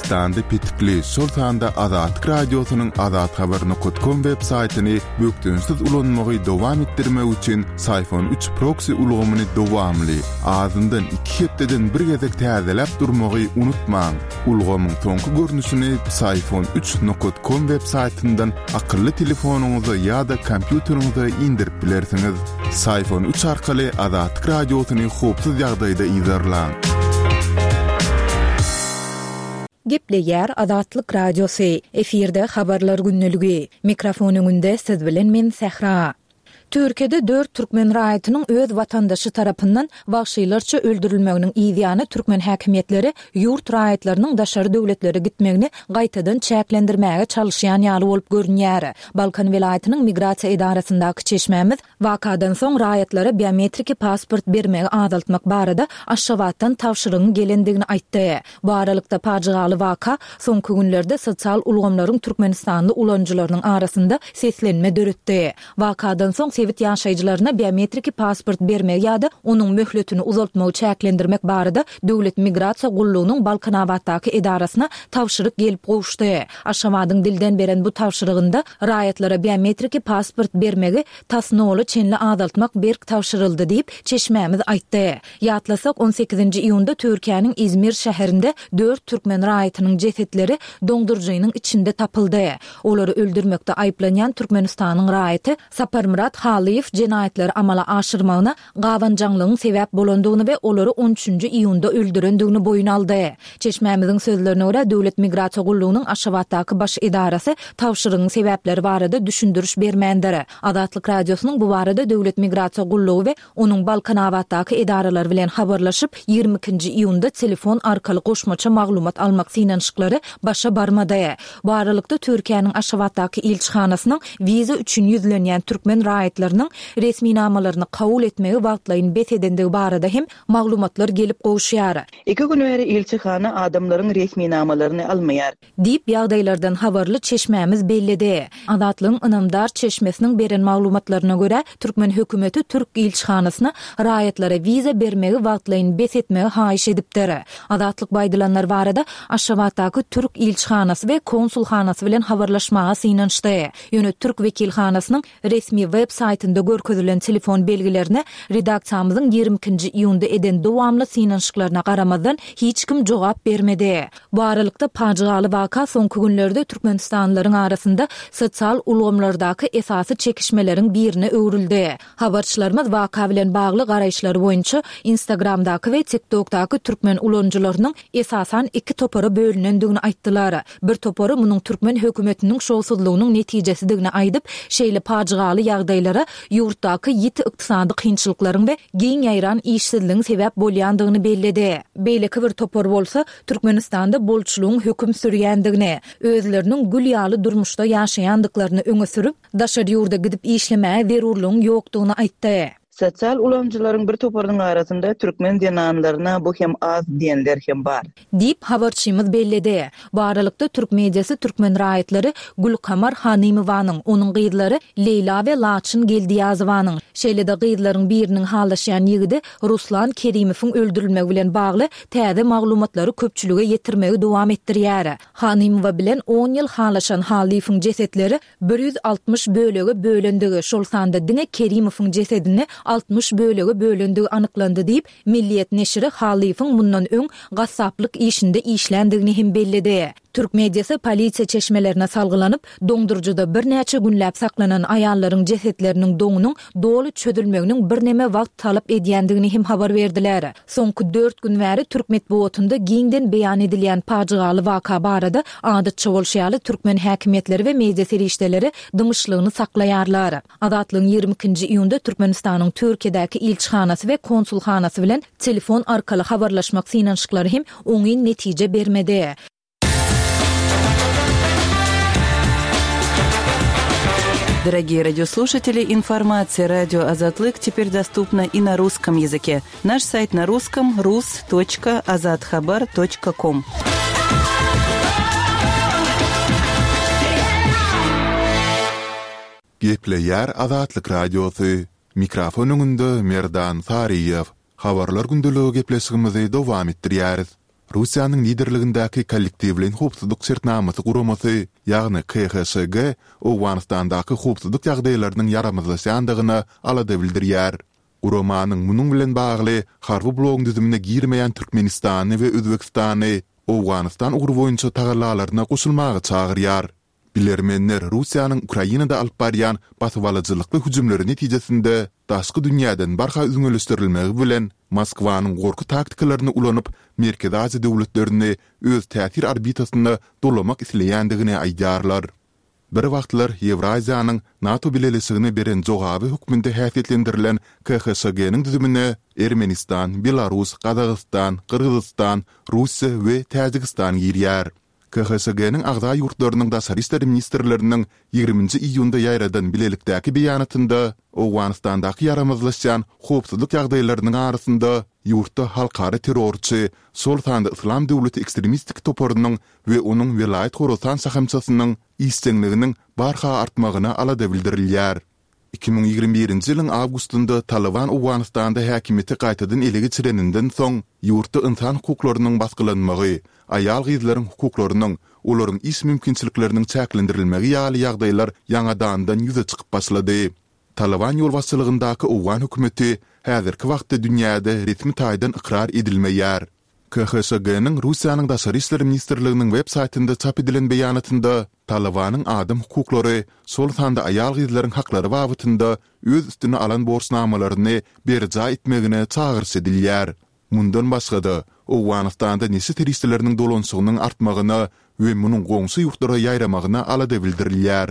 Türkmenistanda petikli, şol sanda Azatlyk Radiosynyň azathabar nokat kom web saýtyny bökdençsiz ulanmagy dowam etdirmek üçin Syfon üç proksi ulgamyny dowamly, azyndan iki hepdeden bir gezek täzeläp durmagy unutmaň. Ulgamyň soňky görnüşini Psiphon üç nokat kom web saýtyndan akylly telefonyňyza ýa-da kompýuteriňize indirip bilersiňiz. Psiphon üç arkaly Azatlyk Radiosyny howpsuz ýagdaýda yzarlaň. Gepleýär Azatlyk Radiosy, efirde Habarlar gündeligi. Mikrofon öňünde siz bilen men Sähra. Türkiýede dört türkmen raýatynyň öz watandaşy tarapyndan wagşylarça öldürilmeginiň yz ýany türkmen häkimiýetleri ýurt raýatlarynyň daşary döwletlere gitmegini gaýtadan çäklendirmäge çalyşýan ýaly bolup görünýär. Balkan welaýatynyň migrasiýa edarasyndaky çeşmämiz wakadan soň raýatlara biometriki pasport bermegi azaltmak barada Aşgabatdan tabşyrygyň gelendigini aýtdy. Bu aralykda, pajygaly waka soňky günlerde sosial ulgamlaryň türkmenistanly ulanyjylarynyň arasynda seslenme döretdi. Wakadan soň sebit ýaşaýjylaryna biometriki pasport bermegi ýa-da onuň möhletini uzaltmagy çäklendirmek barada Döwlet migrasiýa gullugynyň Balkanabatdaky edarasyna tabşyryk gelip gowuşdy. Aşgabadyň dilden beren bu tabşyrygynda raýatlara biometriki pasport bermegi tas nola çenli azaltmak berk tabşyryldy diýip, çeşmämiz aýtdy. Ýatlasak, on sekizinji iýunda Türkiýäniň Izmir şäherinde dört türkmen raýatynyň jesetleri doňduryjynyň içinde tapyldy. Olary öldürmekde aýyplanýan Türkmenistanyň raýaty Saparmyrat Halyýew jenaýatlary amala aşyrmagyna gabanjaňlygyň sebäp bolandygyny we olary on üçünji iýunda öldürendigini boýun aldy. Çeşmämiziň sözlerine görä, Döwlet migrasiýa gullugynyň Aşgabatdaky baş edarasy tabşyrygyň sebäpleri barada düşündiriş bermändir. Azatlyk Radiosynyň bu barada Döwlet migrasiýa gullugy we Onuň Balkanabatdaky edaralary bilen habarlaşyp, 22 nji iýunda telefon arkaly goşmaça maglumat almak synanyşyklary başa barmady. Bu aralykda, Türkiýäniň Aşgabatdaky ilçihanasynyň wiza üçin ýüzlenýän türkmen raýatlarynyň resminamalaryny kabul etmegi wagtlaýyn bes edendigi barada hem maglumatlar gelip gowuşýar. Iki gün bäri ilçihana adamlaryň resminamalaryny almaýar. Diýip, ýagdaýlardan habarly çeşmämiz belledi. Azatlygyň ynamdar çeşmesiniň beren maglumatlaryna görä, türkmen hökümeti türk ilçihanasyna raýatlara wiza bermegi wagtlaýyn bes etmegi haýyş edipdir. Azatlyk bu aýdylanlar barada Aşgabatdaky türk ilçihanasy we konsulhanasy bilen habarlaşmaga synanyşdy. Ýöne türk wekilhanasynyň Resmi web saýtynda görkezilen telefon belgilerine redaksiýamyzyň 22-nji iýunda eden dowamly synanyşyklaryna garamazdan, hiç kim jogap bermedi. Bu aralykda, pajygaly waka soňky günlerde türkmenistanlylaryň arasynda sosial ulgamlardaky esasy çekişmeleriň birine öwrüldi. Habarçylarymyz waka bilen bagly garaýyşlary boýunça Instagramdaky we TikTokdaky türkmen ulanyjylarynyň esasan iki topara bölünendigini aýtdylar. Bir topary munuň türkmen hökümetiniň şowsuzlygynyň netijesidigini aýdyp, şeýle pajygaly ýagdaýlara ýurtdaky ýiti ykdysady kynçylyklaryň we giň ýaýran işsizligiň sebäp bolýandygyny belledi. Beýleki bir topar bolsa, Türkmenistanda bolçulygyň höküm sürýändigini, özleriniň gül ýaly durmuşda ýaşaýandyklaryny öňe sürüp, daşary ýurda gidip işlemäge zerurlygyň ýokdugyny aýtdy. Sosial ulanyjylaryň bir toparynyň arasynda türkmen zenanlaryna bu hem az diýenler hem bar. Diýip, habarçymyz belledi. Bu aralykda, türk mediasy türkmen raýatlary Gülkamar Hanymowanyň, onuň gyzlary Leýla we Laçyn Geldiýazowanyň, şeýle-de gyzlaryň biriniň halaşýan ýigidi Ruslan Kerimowyň öldürilmegi bilen bagly täze maglumatlary köpçülige ýetirmegi dowam etdirýär. Hanymowa bilen on ýyl halaşan Hallyýewiň jesetleri 160 bölege bölendigi, şol sanda diňe Kerimowyň jesedini 60 bölege bölendigi anyklandy diýip, Milliýet neşiri Hallyýewiň mundan öň gassaplyk işinde işländigini hem belledi. Türk mediasy polisiýa çeşmelerine salgylanyp, doňduryjyda birnäçe günläp saklanan aýallaryň jesetleriniň doňunyň doly çözülmeginiň birneme wagt talap edýändigini hem habar berdiler. Soňky dört gün bäri türk metbugatynda giňden beýan edilýän pajygaly waka barada adatça bolşy ýaly türkmen häkimiýetleri we media serişdeleri dymyşlygyny saklaýarlar. Azatlygyň 22-nji iýunda Türkmenistanyň Türkiýedäki ilçihanasy we konsulhanasy bilen telefon arkaly habarlaşmak synanyşyklary hem oňyn netije bermedi. Дорогие радиослушатели, информация радио Азатлык теперь доступна и на русском языке. Наш сайт на русском rus.azathabar.com. Gepleýär Azatlyk Radiosy. Mikrofon öňünde Merdan Saryýew. Habarlar gündeligi gepleşigimizi dowam etdirýäris. Russiýanyň liderligindäki Kollektiwleýin howpsuzlyk şertnamasy guramasy, ýagny KHŞG Owganystandaky howpsuzlyk ýagdaýlarynyň ýaramazlaşýandygyna alada bildirýär. Guramanyň munuň bilen bagly harby blogyň düzümine girmeýän Türkmenistany we Özbegistany Owganystan ugry boýunça tagallalaryna goşulmaga çagyrýar. Bilermenler Russiýanyň Ukrainada alyp barýan basybalyjylykly hüjümleri netijesinde daşky dünýäden barha üzňeleşdirilmegi bilen Moskwanyň gorky taktikalaryny ulanyp Merkezi Aziýa döwletlerini öz täsir orbitasyna dolamak isleýändigini aýdýarlar. Bir wagtlar Ýewraziýanyň NATO bileleşigine beren jogaby hökmünde häsiýetlendirilen KHŞG-niň düzümine Ermenistan, Belarus, Gazagystan, Gyrgyzystan, Russiýa we Täjigistan girýär. KHŞG-niň agza ýurtlarynyň daşary işler ministrleriniň ýigriminji iýunda ýaýradan bilelikdäki beýanatynda Owganystandaky ýaramazlaşýan howpsuzlyk ýagdaýlarynyň arasynda ýurtda halkara terrorçy, şol sanda Yslam döwleti ekstremistik toparynyň we onuň Welaýat Horasan şahamçasynyň işjeňliginiň barha artmagyna alada bildirilýär. 2021-nji ýylyň awgustynda Talyban Owganystanda häkimiýeti gaýtadan ele geçireninden soň, ýurtda ynsan hukuklarynyň basgylanmagy, aýal-gyzlaryň hukuklarynyň, olaryň iş mümkinçilikleriniň çäklendirilmegi ýaly ýagdaýlar ýaňadandan ýüze çykyp başlady. Talyban ýolbaşçylygyndaky owgan hökümeti häzirki wagtda dünýäde resmi taýdan ykrar edilmeýär. KHŞG-niň Russiýanyň Daşary işler ministrliginiň web saýtynda çap edilen beýanatynda Talybanyň adam hukuklary, şol sanda aýal-gyzlaryň haklary babatynda öz üstüne alan borçnamalaryny berjaý etmegine çagyryş edilýär. Mundan başga-da, Owganystanda neşe serişdeleriniň dolanyşygynyň artmagyna we munuň goňşy ýurtlara ýaýramagyna alada bildirilýär.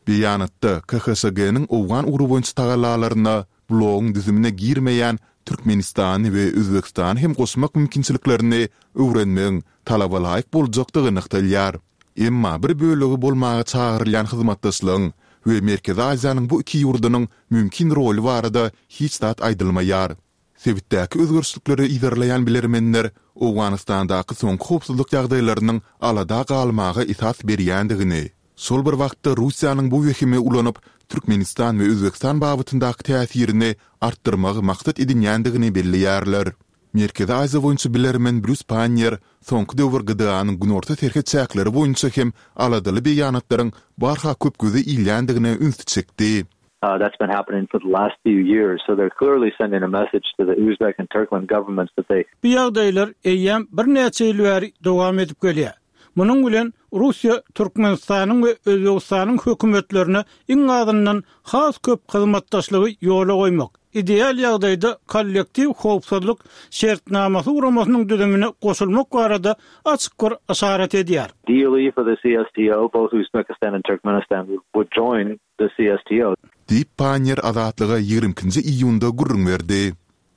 Beýanatda KHŞG-niň owgan ugry boýunça tagallalaryna blogyň düzümine girmeýän Türkmenistany we Özbegistany hem goşmak mümkinçiliklerini öwrenmegiň talabalaýyk boljakdygy nygtalýar. Emma bir bölegi bolmaga çagyrylýan hyzmatdaşlygyň we Merkezi Aziýanyň bu iki ýurdunyň mümkin roly barada hiç zat aýdylmaýar. Sebitdäki özgerişlikleri yzarlaýan bilermenler Owganystandaky soňky howpsuzlyk ýagdaýlarynyň alada galmaga esas berýändigini, şol bir wagtda Russiýanyň bu wehimi ulanyp, Türkmenistan we Özbegistan babatyndaky täsirini artdyrmagy maksat edinýändigini belleýärler. Merkezi Aziýa boýunça bilermen Brýus Panniýer soňky döwür GDA-nyň günorta serhet çäkleri boýunça hem aladaly beýanatlaryň barha köp göze ilýändigine ünsi çekdi. That's been happening for the last few years, so they're clearly sending a message to the Uzbek and Turkmen governments that they. Bu ýagdaýlar eýýäm birnäçe ýyl bäri dowam edip gelýär. Munuň bilen Russiýa Türkmenistanyň we Özbegistanyň hökümetlerine iň azyndan has köp hyzmatdaşlygy ýola goýmak, ideal ýagdaýda Kollektiw howpsuzlyk şertnamasy guramasynyň düzümine goşulmak barada açyk bir yşarat edýär. Ideally for the CSTO, both Uzbekistan and Turkmenistan would join the CSTO. Diýip, Panniýer Azatlyga 22 nji iýunda gürrüň berdi.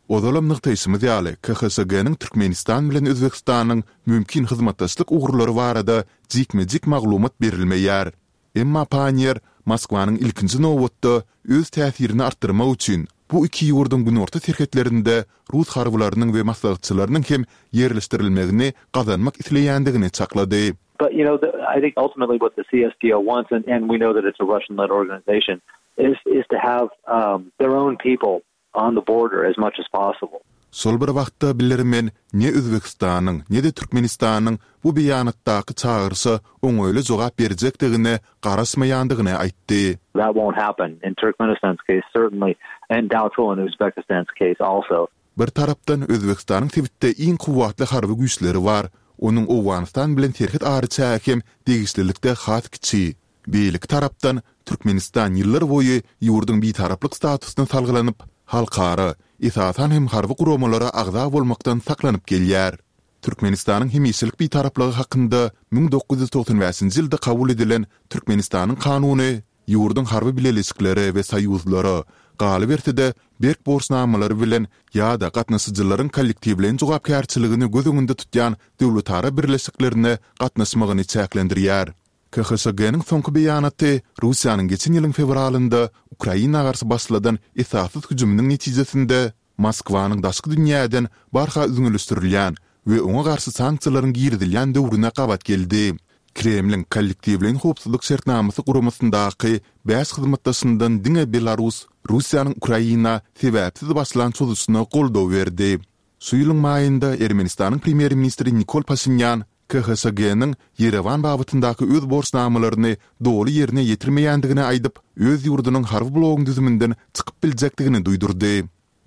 Ozalam nygtaýşymyz ýaly, KHŞG-niň Türkmenistan bilen Özbegistanyň mümkin hyzmatdaşlyk ugurlary barada jikme-jik maglumat berilmeýär. Emma Panniýer Moskwanyň ilkinji nobatda öz täsirini artdyrmak üçin bu iki ýurduň günorta serhetlerinde rus harbylarynyň we maslahatçylarynyň hem ýerleşdirilmegini gazanmak isleýändigini çaklady. But you know I think ultimately what the CSTO wants and and we know that it's a Russian led organization is is to have um their own people on the border as much as possible. Şol bir wagtda bilermen ne Özbegistanyň, ne-de Türkmenistanyň bu beýanatdaky çagyryşa oňaýly jogap berjekdigine garaşmaýandygyny aýtdy. That won't happen in Turkmenistan's case certainly and doubtful in Uzbekistan's case also. Bir tarapdan, Özbegistanyň sebitde iň kuwwatly harby güýçleri bar, onuň Owganystan bilen serhet araçägi hem degişlilikde has kiçi. Beýleki tarapdan, Türkmenistan ýyllar boýy ýurduň bitaraplyk statusyna salgylanyp, halkara, esasan hem harby guramalara agza bolmakdan saklanyp gelýär. Türkmenistanyň hemişelik bitaraplygy hakynda 1995-nji ýylda kabul edilen Türkmenistanyň Kanuny ýurduň harby bileleşiklere we soýuzlara, galyberse-de, berk borçnamalary bilen ýa-da gatnaşyjylaryň kollektiwleýin jogapkärçiligini göz öňünde tutýan döwletara birleşiklerine gatnaşmagyny çäklendirýär. KHŞG-niň soňky beýanaty Russiýanyň geçen ýylyň fewralynda Ukraina garşy başladan esassyz hüjüminiň netijesinde Moskwanyň daşky dünýäden barha üzňeleşdirilýän we oňa garşy sanksiýalaryň girizilýän döwrüne gabat geldi. Kremliň Kollektiwleýin howpsuzlyk şertnamasy guramasyndaky bäş hyzmatdaşyndan diňe Belarus Russiýanyň Ukraina sebäpsiz başlan çozuşyna goldaw berdi. Şu ýylyň maýynda Ermenistanyň premýer-ministri Nikol Paşinýan KHŞG-niň Ýerewan babatyndaky öz borçnamalaryny doly ýerine ýetirmeýändigini aýdyp, öz ýurdunyň harby blogyň düzüminden çykyp biljekdigini duýdurdy.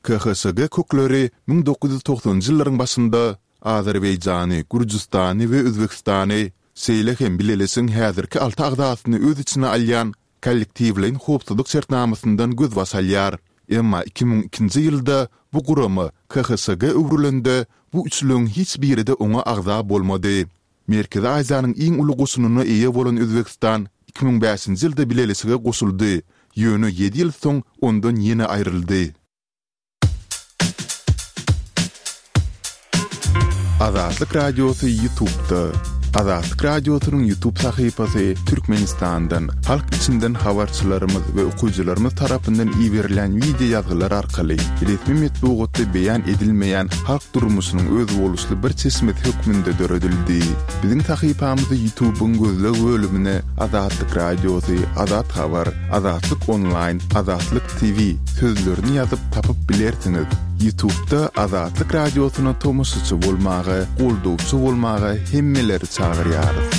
KHŞG kökleri 1990-njy ýyllaryň başynda Azerbaýjany, Gürjüstany we Özbegistany, şeýle hem bileleşigiň häzirki alty agzasyny öz içine alýan Kollektiwleýin howpsuzlyk şertnamasyndan gözbaş alýar. Emma 2002-nji ýylda bu gurama KHŞG öwrülende, bu üçlügiň hiç biri-de oňa agza bolmady. Merkezi Aziýanyň iň uly goşunyna eýe bolan Özbegistan 2005-nji ýylda bileleşige goşuldy, ýöne ýedi ýyl soň ondan ýene aýryldy. Azatlyk Radiosy YouTube'da. Azatlyk Radiosynyň YouTube sahypasy Türkmenistandan, halk içinden habarçylarymyz we okyjylarymyz tarapyndan iberilen wideo ýazgylar arkaly resmi metbugatda beýan edilmeýän halk durmuşynyň özboluşly bir çeşmesi hökmünde döredildi. Biziň sahypamyzy YouTube'yň gözleg bölümine Azatlyk Radiosy, Azat Habar, Azatlyk Onlaýn, Azatlyk TV sözlerini ýazyp tapyp bilersiňiz. Ýutubda Azatlyk Radiosyna tomaşaçy bolmaga, goldawçy bolmaga hemmeleri çagyrýarys.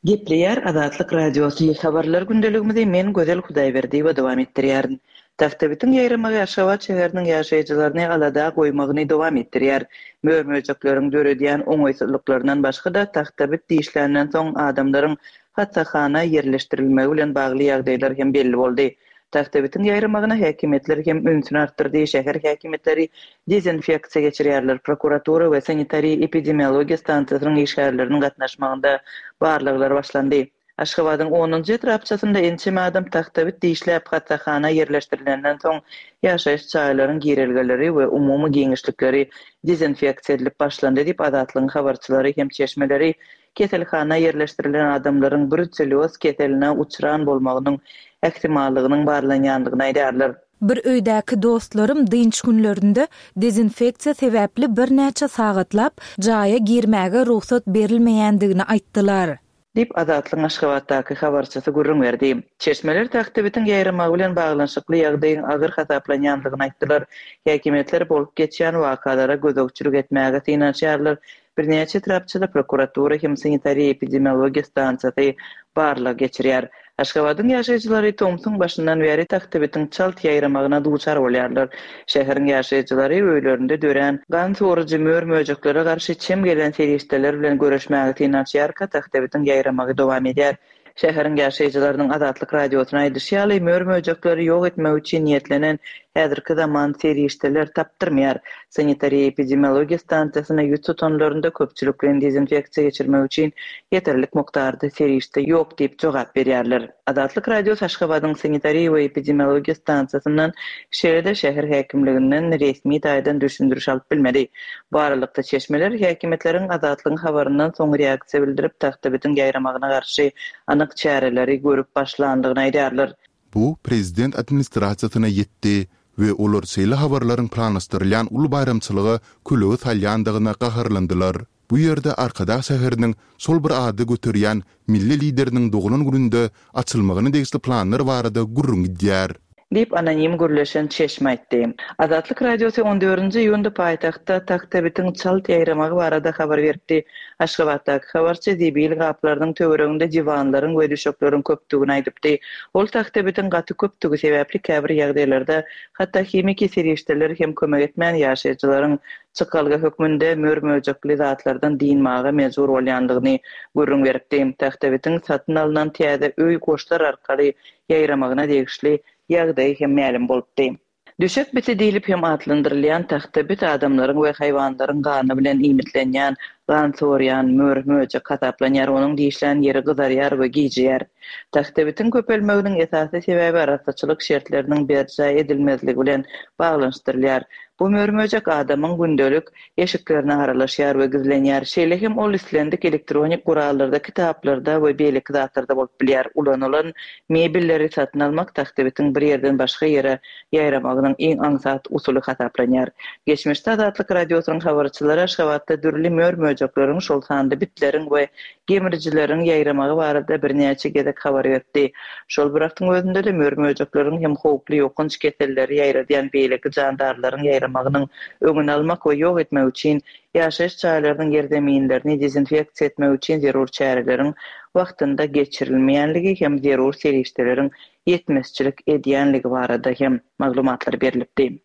Gepleýär Azatlyk Radiosy, Habarlar gündeligimizi men Gözel Hudaýberdiýewa dowam etdirýärin. Tagtabitiň ýaýramagy Aşgabat şäheriniň ýaşaýjylaryny alada goýmagyny dowam etdirýär. Mör-möjekleriň döredýän oňaýsyzlyklaryndan başga-da tagtabit dişländen soň adamlaryň hassahana ýerleşdirilmegi bilen bagly ýagdaýlar hem belli boldy. Tagtabitiň ýaýramagyna häkimiýetler hem ünsüni artdyrdy, şäher häkimiýetleri dezinfeksiýa geçirýärler, prokuratura we sanitariýa-epidemiologiýa stansiýasynyň işgärleriniň gatnaşmagynda barlaglar başlandy. Aşgabadyň onunjy etrapçasynda ençeme adam tagtabit dişläp hassahana ýerleşdirilenden soň, ýaşaýyş jaýlaryň girelgeleri we umumy giňişlikleri dezinfeksiýa edilip başlandy diýip, Azatlygyň habarçylary hem çeşmeleri keselhana ýerleşdirilen adamlaryň bruselýoz keseline uçran bolmagynyň ähtimallygynyň barlanýandygyny aýdýarlar. Bir öýdäki dostlarym dynç günlerinde dezinfeksiýa sebäpli birnäçe sagatlap jaýa girmäge rugsat berilmeýändigini aýtdylar. Diýip, Azatlygyň Aşgabatdaky habarçysy gürrüň berdi. Çeşmeler tagtabitiň ýaýramagy bilen baglanyşykly ýagdaýyň agyr hasaplanýandygyny aýtdylar. Häkimiýetler bolup geçýän wakalara gözegçilik etmäge synanyşýarlar. Birnäçe etrapçada prokuratura hem sanitariýa-epidemiologiýa stansiýasy barlag geçirýär. Aşgabadyň ýaşaýjylary tomsuň başyndan bäri tagtabitiň çalt ýaýramagyna duçar bolýarlar. Şäheriň ýaşaýjylary öýlerinde dörän gan sorujy mör-möjeklere garşy çem gelen serişdeler bilen göreşmäge synanyşýarka tagtabitiň ýaýramagy dowam edýär. Şäheriň ýaşaýjylarynyň Azatlyk Radiosyna aýdyşy ýaly, mör-möjekleri ýok etmek üçin niýetlenen häzirki zaman serişdeler tapdyrmaýar. Sanitariýa-epidemiologiýa stansiýasyna ýüz tutanlarynda köpçülikleýin dezinfeksiýa geçirmek üçin ýeterlik mukdarda serişde ýok diýip jogap berýärler. Azatlyk Radiosy Aşgabadyň sanitariýa we epidemiologiýa stansiýasyndan, şeýle-de şäher häkimliginden resmi taýdan düşündiriş alyp bilmedi. Bu aralykda, çeşmeler häkimiýetleriň Azatlygyň habaryndan soň reaksiýa bildirip, tagtabitiň ýaýramagyna garşy anyk çäreleri görüp başlandygyny aýdýarlar. Bu prezident administrasiýasyna ýetdi we olar şeýle habarlaryň planlaşdyrylýan uly baýramçylyga kölege salýandygyna gaharlandylar. Bu ýerde Arkadag şäheriniň şol bir ady göterýän milli Lideriniň doglan gününde açylmagyna degişli planlar barada gürrüň gidýär. Diýip, anonim gürleşen çeşme aýtdy. Azatlyk Radiosy on dördünji iýunda paýtagtda tagtabitiň çalt ýaýramagy barada habar beripdi. Aşgabatdaky habarçy zibil gaplarynyň töwereginde diwanlaryň we düşekleriň köpdügini aýdypdy. Ol tagtabitiň gaty köpdügi sebäpli käbir ýagdaýlarda hatda himiki serişdeler hem kömek etmän ýaşaýjylaryň çykalga hökmünde mör-möjekli zatlardan dynmaga mejbur bolýandygyny gürrüň beripdi. Tagtabitiň satyn alnan täze öý goşlar arkaly ýaýramagyna degişli ýagdaýy hem mälim bolupdy. Düşek biti diýlip hem atlandyrylýan tagta bit adamlaryň we haýwanlaryň gany bilen iýmitlenýän, gan sorýan mör-möjek hasaplanýar, onuň dişlän ýeri gyzarýar we gijeýär. Tagta bitiň köpelmeginiň esasy sebäbi arassaçylyk şertleriniň berjaý edilmezligi bilen baglanyşdyrylýar. Bu mör-möjek adamyň gündelik eşiklerine aralaşýar we gizlenýär. Şeýle hem ol islendik elektronik gurallarda, kitaplarda we beýleki zatlarda bolup bilýär. Ulanylan mebelleri satyn almak tagtabitiň bir ýerden başga ýere ýaýramagynyň iň aňsat usuly hasaplanýar. Geçmişde Azatlyk Radiosynyň habarçylary Aşgabatda dürli mör-möjekleriň, şol sanda bitleriň we gemrijileriň ýaýramagy barada birnäçe gezek habar berdi. Şol bir wagtyň özünde-de mör-möjekleriň hem howply ýokanç keselleri ýaýradýan beýleki jandarlaryň ýaýramagynyň öňüni almak we ýok etmek üçin ýaşaýyş jaýlarynyň ýerzeminlerini dezinfeksiýa etmek üçin zerur çäreleriň wagtynda geçirilmeýänligi hem zerur serişdeleriň ýetmezçilik edýänligi barada hem maglumatlar berlipdi.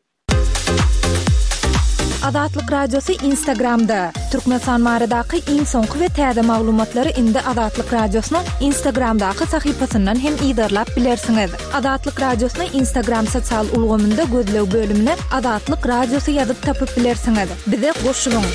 Azatlyk Radiosy Instagramda, Türkmenistan baradaky iň soňky we täze maglumatlary indi Azatlyk Radiosynyň Instagramdaky sahypasyndan hem yzarlap bilersiňiz. Azatlyk Radiosyny Instagram sosial ulgamynda gözleg bölümine Azatlyk Radiosy ýazyp tapyp bilersiňiz. Bize goşulyň!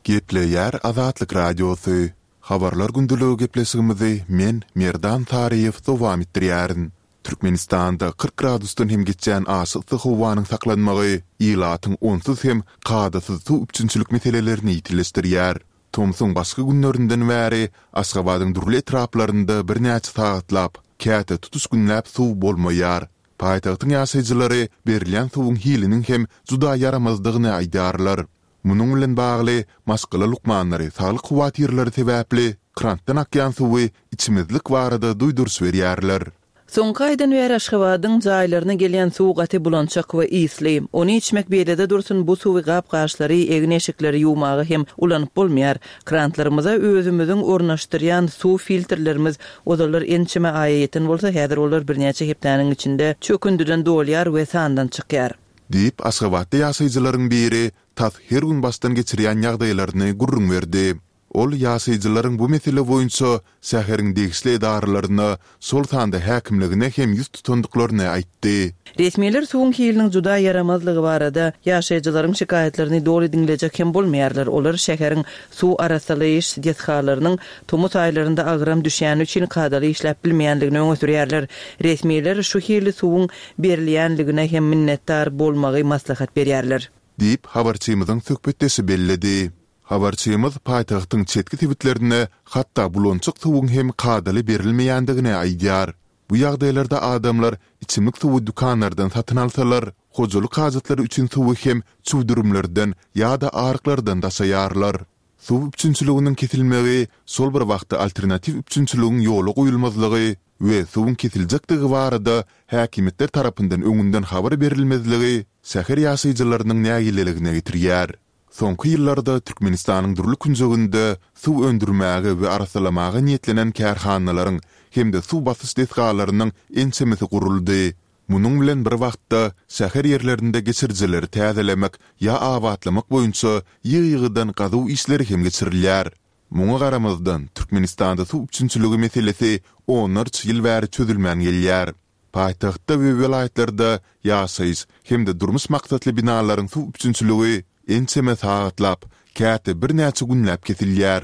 Gepleýär Azatlyk Radiosy. Habarlar gündeligi gepleşigimizi men, Merdan Taryýew dowam etdirýärin. Türkmenistanda 40 gradusdan hem geçýän aşa yssy howanyň saklanmagy ilatyň onsuz hem kadasyz suw üpjünçilik meselelerini ýitileşdirýär. Tomsuň başky günlerinden bäri Aşgabadyň dürli etraplarynda birnäçe sagatlap, käte tutuş günläp suw bolmaýar. Paýtagtyň ýaşaýjylary berilýän suwuň hiliniň hem juda ýaramazdygyny aýdýarlar. Munuň bilen bagly, maşgala lukmanlary saglyk howatyrlary sebäpli krantdan akýan suwy içmezlik barada duýduryş berýärler. Soňky aýdan bäri Aşgabadyň jaýlaryna gelýän suw gaty bulançak we ysly. Ony içmek beýlede dursun, bu suwy gap-gaçlary, egin-eşikleri ýuwmaga hem ulanyp bolmaýar. Krantlarymyza özümiziň ornaşdyrýan suw filtrlerimiz ozallar ençeme aýa ýeten bolsa, häzir olar birnäçe hepdäniň içinde çökündiden dolýar we sandan çykýar. Diýip, aşgabatly ýaşaýjylaryň biri tas her gün başdan geçirýän ýagdaýlaryny gürrüň berdi. Ol ýaşaýjylaryň bu mesele boýunça şäheriň degişli edaralaryna, şol sanda häkimligine hem ýüz tutandyklaryny aýtdy. Resmiler suwuň hiliniň juda ýaramazlygy barada ýaşaýjylaryň şikaýatlaryny doly diňlejek hem bolmaýarlar. Olar şäheriň suw arassalaýyş desgalarynyň tomus aýlarynda agram düşýäni üçin kadaly işläp bilmeýändigini öňe sürýärler. Resmiler şu hili suwuň berilýänligine hem minnetdar bolmagy maslahat berýärler. Diýip, habarçymyzyň söhbetdeşi belledi. Habarçymyz paýtagtyň çetki sebitlerinde hatda bulançak suwuň hem kadaly berilmeýändigini aýdýar. Bu ýagdaýlarda adamlar içimlik suwy dükanlardan satyn alsalar, hojalyk hajatlary üçin suwy hem çüwdürimlerden ýa-da aryklardan daşaýarlar. Suw üpjünçiliginiň kesilmegi, şol bir wagtda alternatiw üpjünçiligiň ýola goýulmazlygy we suwuň kesiljekdigi barada häkimiýetler tarapyndan öňünden habar berilmezligi şäher ýaşaýjylarynyň nägileligine getirýär. Soňky ýyllarda Türkmenistanyň dürli künjeginde suw öndürmäge we arassalamaga niýetlenen kärhanalaryň hem-de suw basyş desgalarynyň ençemesi guruldy. Munuň bilen bir wagtda, şäher ýerlerinde geçirijileri täzelemek ýa abatlamak boýunça ýygy-ýygydan gazuw işleri hem geçirilýär. Muňa garamazdan, Türkmenistanda suw üpjünçiligi meselesi onlarça ýyl bäri çözülmän gelýär. Paýtagtda we welaýatlarda ýaşaýyş hem-de durmuş maksatly binalaryň suw üpjünçiligi ençeme sagatlap, käte birnäçe günläp kesilýär.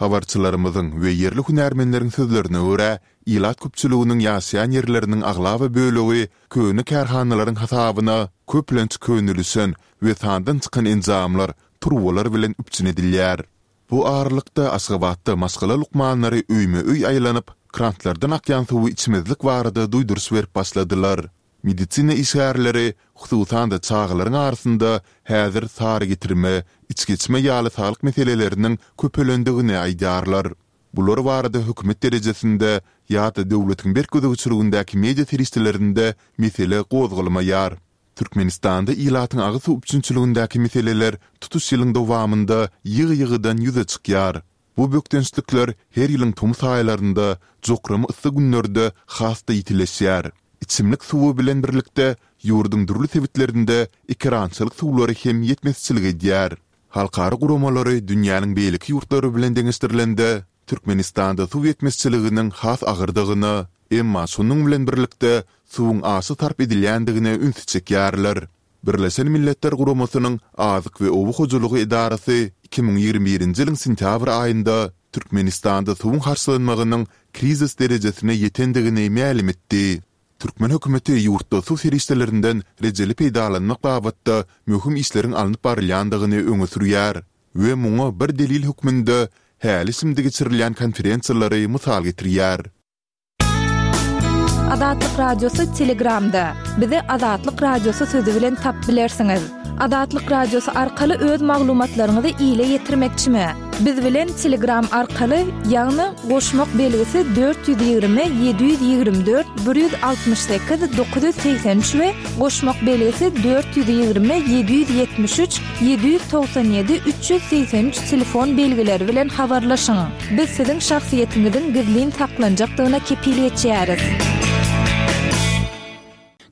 Habarçylarymyzyň we ýerli hünärmenleriň sözlerine görä, ilat köpçüliginiň ýaşaýan ýerleriniň aglaba bölegi köne kärhanalaryň hasabyna köplenç könelişen we sandan çykan enjamlar, turbalar bilen üpjün edilýär. Bu aralykda, Aşgabatda maşgala lukmanlary öýme-öý aýlanyp, krantlardan akýan suwy içmezlik barada duýduryş berip başladylar. Medisina işgärleri, hususan-da, çagalaryň arasynda häzir sary getirme, içgeçme ýaly saglyk meseleleriniň köpelendigini aýdýarlar. Bular barada hökümet derejesinde ýa-da döwletiň berk gözegçiligindäki media serişdelerinde mesele gozgalmaýar. Türkmenistanda ilatyň agyz suw üpjünçiligindäki meseleler tutuş ýylyň dowamynda ýygy-ýygydan ýüze çykýar. Bu bökdençlikler her ýylyň tomus aýlarynda, jokrama yssy günlerde has-da ýitileşýär. Içimlik suwy bilen birlikde, ýurduň dürli sebitlerinde ekerançylyk suwlary hem ýetmezçilik edýär. Halkara guramalary dünýäniň beýleki ýurtlary bilen deňeşdirilende, Türkmenistanda suw ýetmezçiliginiň has agyrdygyna, emma şonuň bilen birlikde, suwuň aşa sarp edilýändigine ünsi çekýärler. Birleşen Milletler Guramasynyň Azyk we oba hojalygy edarasy 2021-nji ýylyň sentýabr aýynda Türkmenistanda suwuň harçlanmagynyň krizis derejesine ýetendigini mälim etdi. Türkmen hökümeti ýurtda suw serişdelerinden rejeli peýdalanmak babatda möhüm işleriň alnyp barylýandygyny öňe sürýär we muňa bir delil hökmünde häli-şindi geçirilýän konferensiýalary mysal getirýär. Azatlyk Radiosy Telegramda. Bizi Azatlyk Radiosy sözi bilen tapyp bilersiňiz. Azatlyk Radiosy arkaly öz maglumatlaryňyzy ile ýetirmekçimi? Biz bilen Telegram arkaly, ýagny goşmak belgisi 420 724 168 983 we goşmak belgisi 420 773 797 383 telefon belgileri bilen habarlaşyň. Biz siziň şahsyýetiňiziň gizlin saklanjakdygyna kepil geçýäris.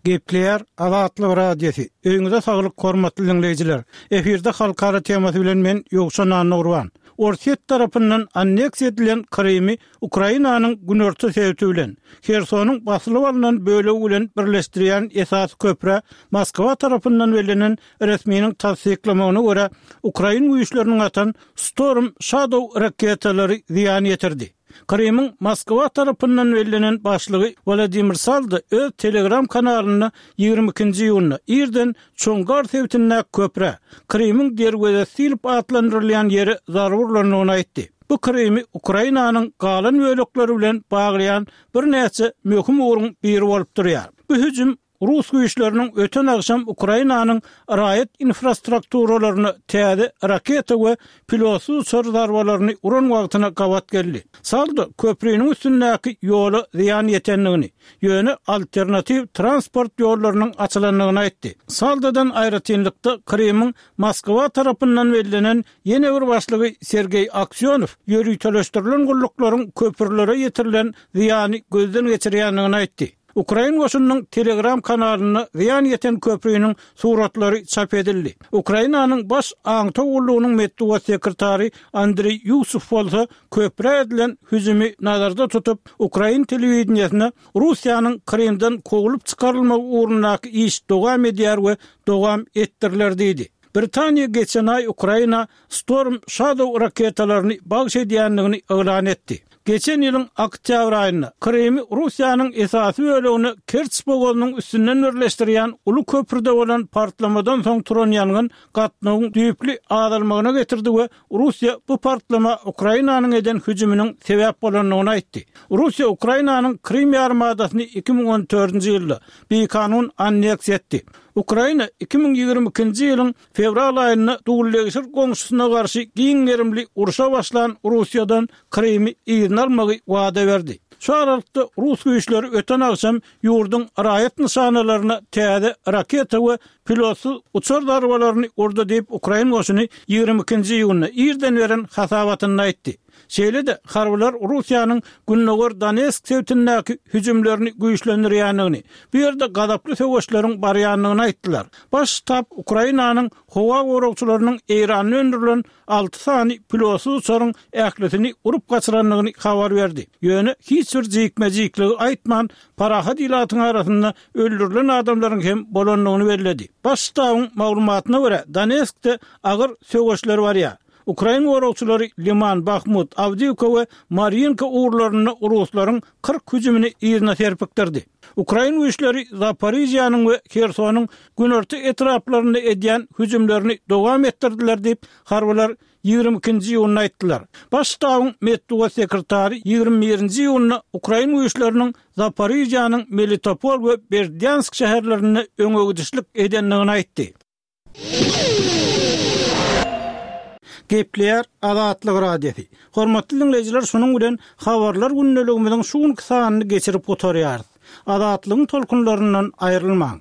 Gepleýär Azatlyk Radiosy. Öýüňize saglyk hormatly diňleýjiler. Efirde halkara temasy bilen men Ýowşan Annagurban. Orsýet tarapyndan anneksiýa edilen Krymy Ukrainanyň günorta sebiti bilen, Hersonyň basylyp alnan bölegi bilen birleşdirýän esasy köprä Moskwa tarapyndan bellenen resminiň tassyklamagyna görä, ukrain güýçleriniň atan Storm Shadow raketalary zyýan ýetirdi. Krymyň Moskwa tarapyndan bellenen başlygy Wladimir Saldo öz Telegram kanalynda 22-nji iýunda irden Çongar sebitindäki köprä, Krymyň derwezesi diýlip atlandyrylýan ýere zarba urlandygyny aýtdy. Bu Krymy Ukrainanyň galan bölekleri bilen baglaýan birnäçe möhüm ugruň biri bolup durýar. Bu hüjüm Rus güýçleriniň öten agşam Ukrainanyň raýat infrastrukturalaryna täze raketa we pilotsyz uçar zarbalaryny uran wagtyna gabat geldi. Saldo köpriniň üstündäki ýola zyýan ýetendigini, ýöne alternatiw transport ýollarynyň açylandygyny aýtdy. Saldodan aýratynlykda Krymyň Moskwa tarapyndan bellenen ýene bir başlygy Sergeý Aksýonow ýöriteleşdirilen gulluklaryň köprülere ýetirilen zyýany gözden geçirýändigini aýtdy. Ukrain goşunynyň Telegram kanalynda zyýan ýeten köpriniň suratlary çap edildi. Ukrainanyň Baş aňtaw gullugynyň metbugat sekretary Andriý Ýusow bolsa köprä edilen hüjümi nazarda tutup, ukrain telewideniýesine Russiýanyň Krymdan kowlup çykarylmagy ugrundaky iş dowam edýär we dowam etdiriler diýdi. Britaniýa geçen aý Ukraina Storm Shadow raketalaryny bagyş edýändigini yglan etdi. Geçen ýylyň oktýabr aýynda Krymy Russiýanyň esasy bölegine Kerç bogazynyň üstünden birleşdirýän uly köprüde bolan partlamadan soň turan ýangyn gatnawyň düýpli azalmagyna getirdi we Russiýa bu partlama Ukrainanyň eden hüjüminiň sebäp bolandygyny aýtdy. Russiýa Ukrainanyň Krym ýarymadasyny 2014-nji ýylda bikanun anneksiýa etdi. Ukraina 2022-nji ýylyň fewral aýynda dullegşir goňşusyna garşy giň gerimli urşa başlan Russiýadan Krymy yzyna almagy wada berdi. Şu aralykda, rus güýçleri öten agşam ýurduň raýat nyşanalaryna täze raketa we pilotsyz uçar zarbalaryny urdy diýip, ukrain goşuny 22-nji iýunda irden beren hasabatynda aýtdy. Şeýle-de, harbylar Russiýanyň gündogar Donetsk sebitindäki hüjümlerini güýçlendirýändigini, bu ýerde gazaply söweşleriň barýandygyny aýtdylar. Baş ştab Ukrainanyň howa goragçylarynyň Eýranda öndürilen alty sany pilotsyz uçaryň ählisini urup gaçyrandygyny habar berdi. Ýöne hiç bir jikme-jikligi aýtman, parahat ilatyň arasynda öldürilen adamlaryň hem bolandygyny belledi. Baş ştabyň maglumatyna görä, Donetskde agyr söweşler barýar. Ukrain goragçylary Liman, Bahmut, Awdiýewka we Marýinka ugurlarynda ruslaryň 40 hüjümini yzyna serpikdirdi. Ukrain güýçleri Zaporižýanyň we Hersonyň günorta etraplarynda edýän hüjümlerini dowam etdirdiler diýip, harbylar 22-nji iýunda aýtdylar. Baş ştabyň metbugat sekretary 21-nji iýunda ukrain güýçleriniň Zaporižýanyň Melitopol we Berdýansk şäherlerinde öňegidişlik edendigini aýtdy. Gepleýär Azatlyk Radiosy. Hormatly diňleýjiler şunuň bilen Habarlar gündeligimiziň şu günki sanyny geçirip gutarýarys. Azatlygyň tolkunlaryndan aýrylmaň.